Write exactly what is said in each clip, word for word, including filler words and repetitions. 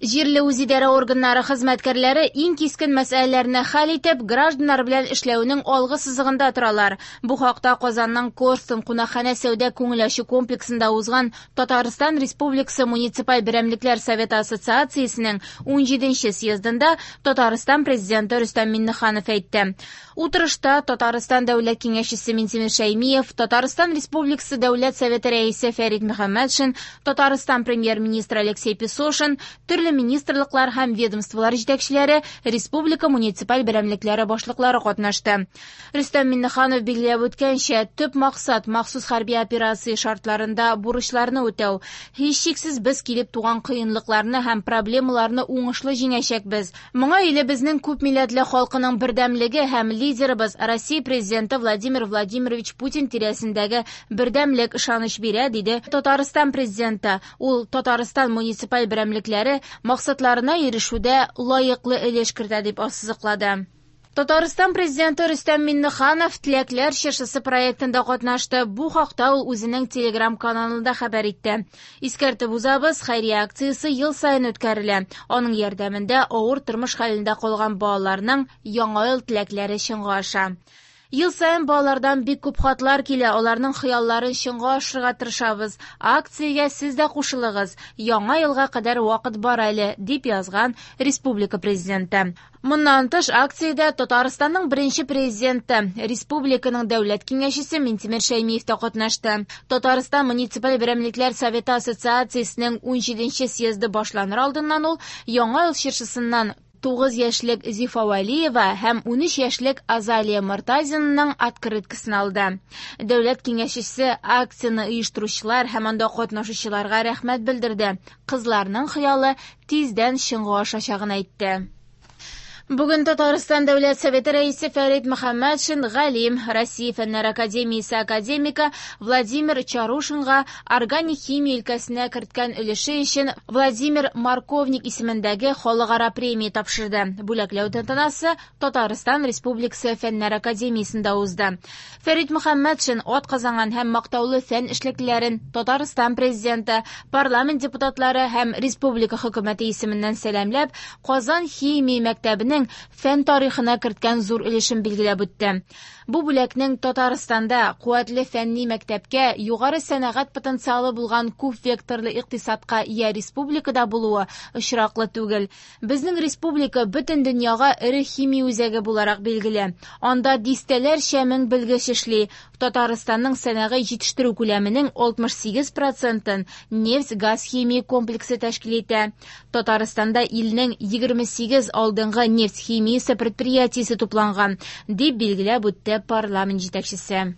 Җирле үзидарә органнары хезмәткәрләре иң кискен мәсьәләләрне хәл итеп, гражданнар белән эшләүнең алгы сызыгында торалар. Бу хакта Казанның Корстон кунакханә сәүдә-күңел ачу комплексында узган Татарстан Республикасы муниципаль берәмлекләр советы ассоциациясенең унҗиденче съездында Татарстан Президенты Рөстәм Миңнеханов әйтте. Утырышта Татарстан Дәүләт Киңәшчесе Минтимер Шәймиев, Татарстан Республикасы Дәүләт Советы рәисе Фәрит Мөхәммәтшин, Татарстан Премьер-министры Алексей Песошин, төрле министрлыклар һәм ведомстволар җитәкчеләре, республика муниципаль берәмлекләре башлыклары катнашты. Рөстәм Миңнеханов билгеләп үткәнчә, төп максат махсус хәрби операция шартларында бурычларны үтәү. Һичшиксез без килеп туган кыенлыкларны һәм проблемаларны уңышлы җиңәчәкбез. Моңа илебезнең күп милләтле халкының бердәмлеге һәм лидерыбыз Россия президенты Владимир Владимирович Путин тирәсендәге бердәмлек ышаныч бирә, диде Татарстан президенты. Ул Татарстан муниципаль берәмлекләре максатларына ирешүдә лаеклы өлеш кертә дип ассызыклады. Татарстан президенты Рөстәм Миңнеханов Теләкләр чыршысы проектында катнашты. Бу хакта ул үзенең Telegram каналында хәбәр итте. Искәртеп узабыз, хәйрия акциясе ел саен үткәрелә. Аның ярдәмендә авыр тормыш хәлендә калган балаларның яңа ел теләкләре чынга аша. Ел саен балалардан бик күп хатлар килә, аларның хыялларын чынга ашырырга тырышабыз. Акциягә сез дә кушылыгыз. Яңа елга кадәр вакыт бар әле, дип язган республика президенты. Моннан тыш, акциядә Татарстанның беренче президенты, республиканың дәүләт киңәшчесе Минтимер Шәймиев та катнашты. Татарстан муниципаль берәмлекләр советы ассоциациясенең унҗиденче съезды башланыр алдыннан ул Яңа ел чыршысыннан тугыз яшьлек Зифа Вәлиева һәм унөч яшьлек Азалия Мортазинаның открыткасын алды. Дәүләт киңәшчесе акцияне оештыручылар һәм анда катнашучыларга рәхмәт белдерде. Кызларның хыялы тиздән чынга ашачагын әйтте. Бүген Татарстан Дәүләт Советы рәисе Фәрит Мөхәммәтшин галим, Россия Фәннәр академиясе академигы Владимир Чарушинга органик химия өлкәсенә керткән өлеше өчен Владимир Марковник исемендәге халыкара премия тапшырды. Бүләкләү тантанасы Татарстан Республикасы Фәннәр академиясендә узды. Фәрит Мөхәммәтшин атказанган һәм мактаулы фән эшлеклеләрен Татарстан президенты, парламент депутатлары һәм республика хөкүмәте исеменнән сәламләп, Казан химия мәктәбенең фән тарихына керткән зур өлешен билгеләп үтте. Бу бүләкнең Татарстанда куәтле фәнни мәктәпкә, югары сәнәгать потенциалы булган күп векторлы икътисадка ия республикада булуы очраклы түгел. Безнең республика бөтен дөньяга эре химия үзәге буларак билгеле. Анда дистәләрчә мең белгеч эшли. Татарстанның сәнәгый җитештерү күләменең алтмыш сигез процентын нефть-газ химия комплексы тәшкил итә. Татарстанда илнең егерме сигез алдынгы нефть химиясе предприятиесе тупланган, дип билгеләп үтте парламент җитәкчесе.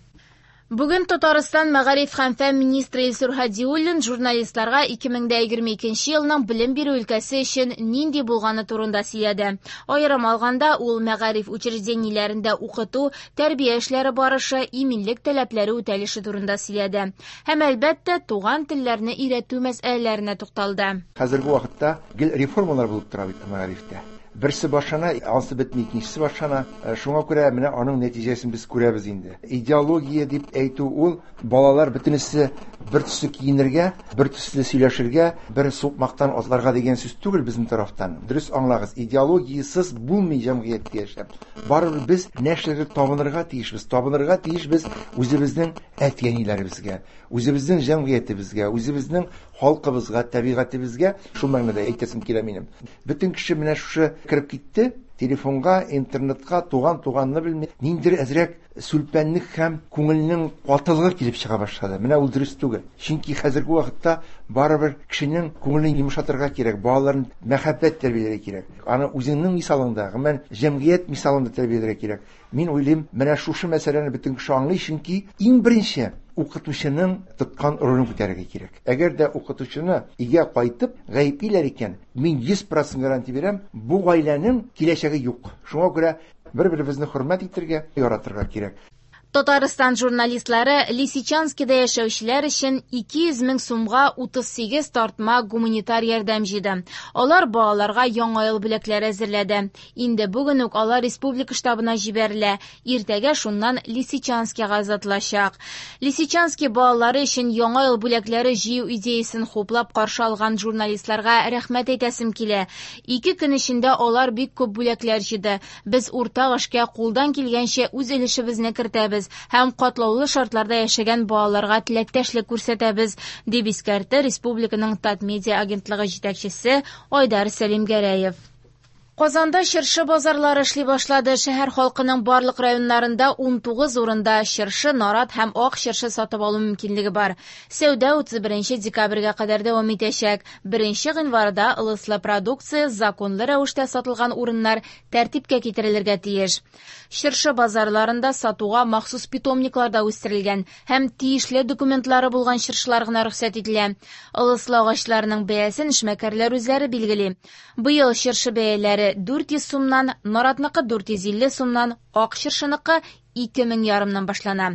Бүген Татарстан мәгариф һәм фән министры Илсур Һадиуллин журналистларга ике мең дә егерме икенче елның белем бирү өлкәсе өчен нинди булганы турында сөйләде. Аерым алганда, ул мәгариф учреждениеләрендә укыту, тәрбия эшләре барышы, иминлек таләпләре үтәлеше турында сөйләде. Һәм әлбәттә, туган телләрне өйрәтү мәсьәләләренә тукталды. Хәзерге вакытта гел реформалар булып тора бит мәгарифтә. Берсе башлана, ансы бетми, икенчесе башлана. Э, шуңа күрә менә аның нәтиҗәсен без күрәбез инде. Идеология дип әйтү ул балалар бөтенесе бер төсле киенергә, бер төсле сөйләшергә, бер сукмактан атларга дигән сүз түгел безнең тарафтан. Дөрес аңлагыз, идеологиясез булмый җәмгыятьтә яшәп. Барыбер без нәрсәгә табынырга тиешбез? Табынырга тиешбез үзебезнең әти-әниләребезгә, үзебезнең җәмгыятебезгә, үзебезнең халкыбызга, табигатебезгә. Шул мәгънәдә әйтәсем килә минем. Бөтен кеше менә шушы кереп китте, телефонга, интернетка, туган туганны белми, ниндидер әзрәк сүлпәнлек һәм күңелнең катылыгы килеп чыга башлады. Менә ул дөрес түгел. Чөнки хәзерге вакытта барыбер кешенең күңелен йомшатырга кирәк, балаларын мәхәббәт тәрбияләргә кирәк. Аны үзеңнең мисалыңда, гомумән җәмгыять мисалында тәрбияләргә кирәк. Мин уйлыйм, менә шушы мәсьәләне бөтен кеше аңлый, чөнки иң беренче укытучының тоткан ролен күтәрергә кирәк. Әгәр дә укытучыны өйгә кайтып гаеплиләр икән, мин йөз процент гарантия бирәм, бу гаиләнең киләчәге юк. Шуңа күрә бер-беребезне хөрмәт итәргә, яратырга кирәк. Татарстан журналистлары Лисичанскида яшәүчеләр өчен ике йөз мең сумга утыз сигез тартма гуманитар ярдәм җыйды. Алар балаларга яңа ел бүләкләре әзерләде. Инде бүген үк алар республика штабына җибәрелә. Иртәгә шуннан Лисичанскига озатылачак. Лисичанский балалары өчен яңа ел бүләкләре җыю идеясын хуплап каршы алган журналистларга рәхмәт әйтәсем килә. Ике көн эчендә алар бик күп бүләкләр җыйды. Без уртак эшкә кулдан килгәнчә үз өлешебезне кертәбез һәм катлаулы шартларда яшәгән балаларга теләктәшлек күрсәтәбез, дип искәртте республиканың Татмедиа агентлыгы җитәкчесе Айдар Сәлимгәрәев. Казанда чыршы базарлары эшли башлады. Шәһәр халкының барлык районнарында ун тугыз урында чыршы, нарат һәм ак чыршы сатып алу мөмкинлеге бар. Сәүдә утыз беренче декабрьгә кадәр дәвам итәчәк. Беренче гыйнварда ылыслы продукция законлы рәвештә сатылган урыннар тәртипкә китерелергә тиеш. Чыршы базарларында сатуга махсус питомникларда үстерелгән һәм тиешле документлары булган чыршылар гына рөхсәт ителә. Ылыслы агачларның бәясен эшмәкәрләр үзләре билгели. Быел чыршы бәяләре дүрт йөз сумнан, наратныкы дүрт йөз илле сумнан, ак чыршыныкы ике мең ярымнан башлана.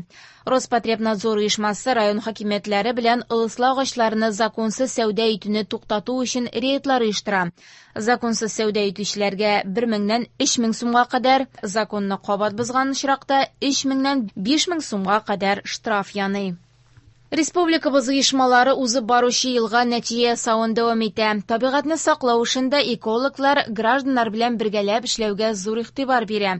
Роспотребнадзор оешмасы район хакимиятләре белән ылыслы агачларны законсыз сәүдә итүне туктату өчен рейдлар оештыра. Законсыз сәүдә итүчеләргә бер меңнән өч мең сумга кадәр, законны кабат бозган очракта өч меңнән биш мең сумга кадәр штраф яный. Республикабыз оешмалары узып баручы елга нәтиҗә ясавын дәвам итә. Табигатьне саклау эшендә экологлар гражданнар белән бергәләп эшләүгә зур игътибар бирә.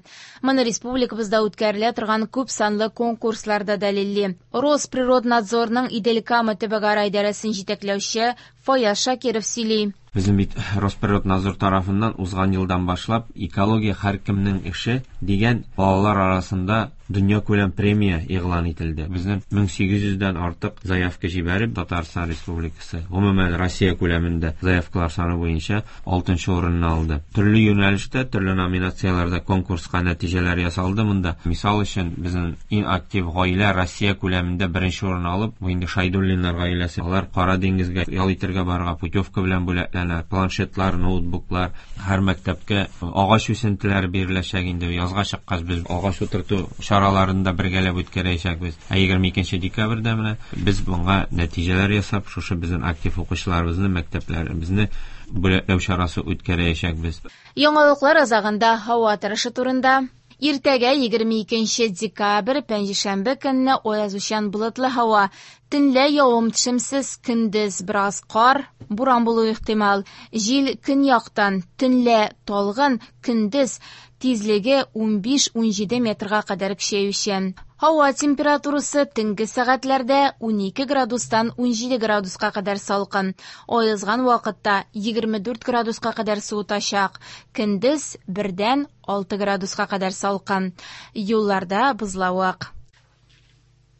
Моны республикабызда үткәрелә торган күп санлы конкурсларда дәлилли. Росприроднадзорның Идел-Кама төбәкара идарәсен җитәкләүче Фаяз Шакиров сөйли. Безнең бит Росприроднадзор тарафыннан узган елдан башлап экология һәркемнең эше дигән балалар арасында дөньякүләм премия игълан ителде. Безнең мең сигез йөздән артык заявка җибәреп Татарстан Республикасы, гомумән Россия күләмендә заявкалар саны буенча алтынчы урынны алды. Төрле юнәлештә, төрле номинацияләрдә конкурска нәтиҗәләр ясалды монда. Мисал өчен, безнең иң актив гаилә Россия күләмендә беренче урын алып, бу инде Шайдуллиннар гаиләсе. Алар Кара диңгезгә ял итәргә барырга путевка белән бүләкләнә, планшетлар, ноутбуклар, һәр мәктәпкә агач үсентеләре биреләчәк инде. Язга чыккач без агач утырту чараларын да бергәләп үткәрәчәкбез. Ә егерме икенче декабрьдә менә без моңа нәтиҗәләр ясап, шушы безнең актив укучыларыбызны, мәктәпләребезне бүләкләү чарасы үткәрәчәкбез. Яңалыклар азагында һава торышы турында. Иртәгә егерме икенче декабрь пәнҗешәмбе көнне аязучан болытлы һава. Төнлә явым-төшемсез, көндез бераз кар, буран булуы ихтимал. Җил көньяктан, төнлә талгын, көндез тизлеге ун биш-ун җиде метрга кадәр көчәючән. Һава температурасы төнге сәгатьләрдә ун ике градустан ун җиде градуска кадәр салкын. Аязган вакытта егерме дүрт градуска кадәр суытачак. Көндез бердән алты градуска кадәр салкын. Юлларда бозлавык.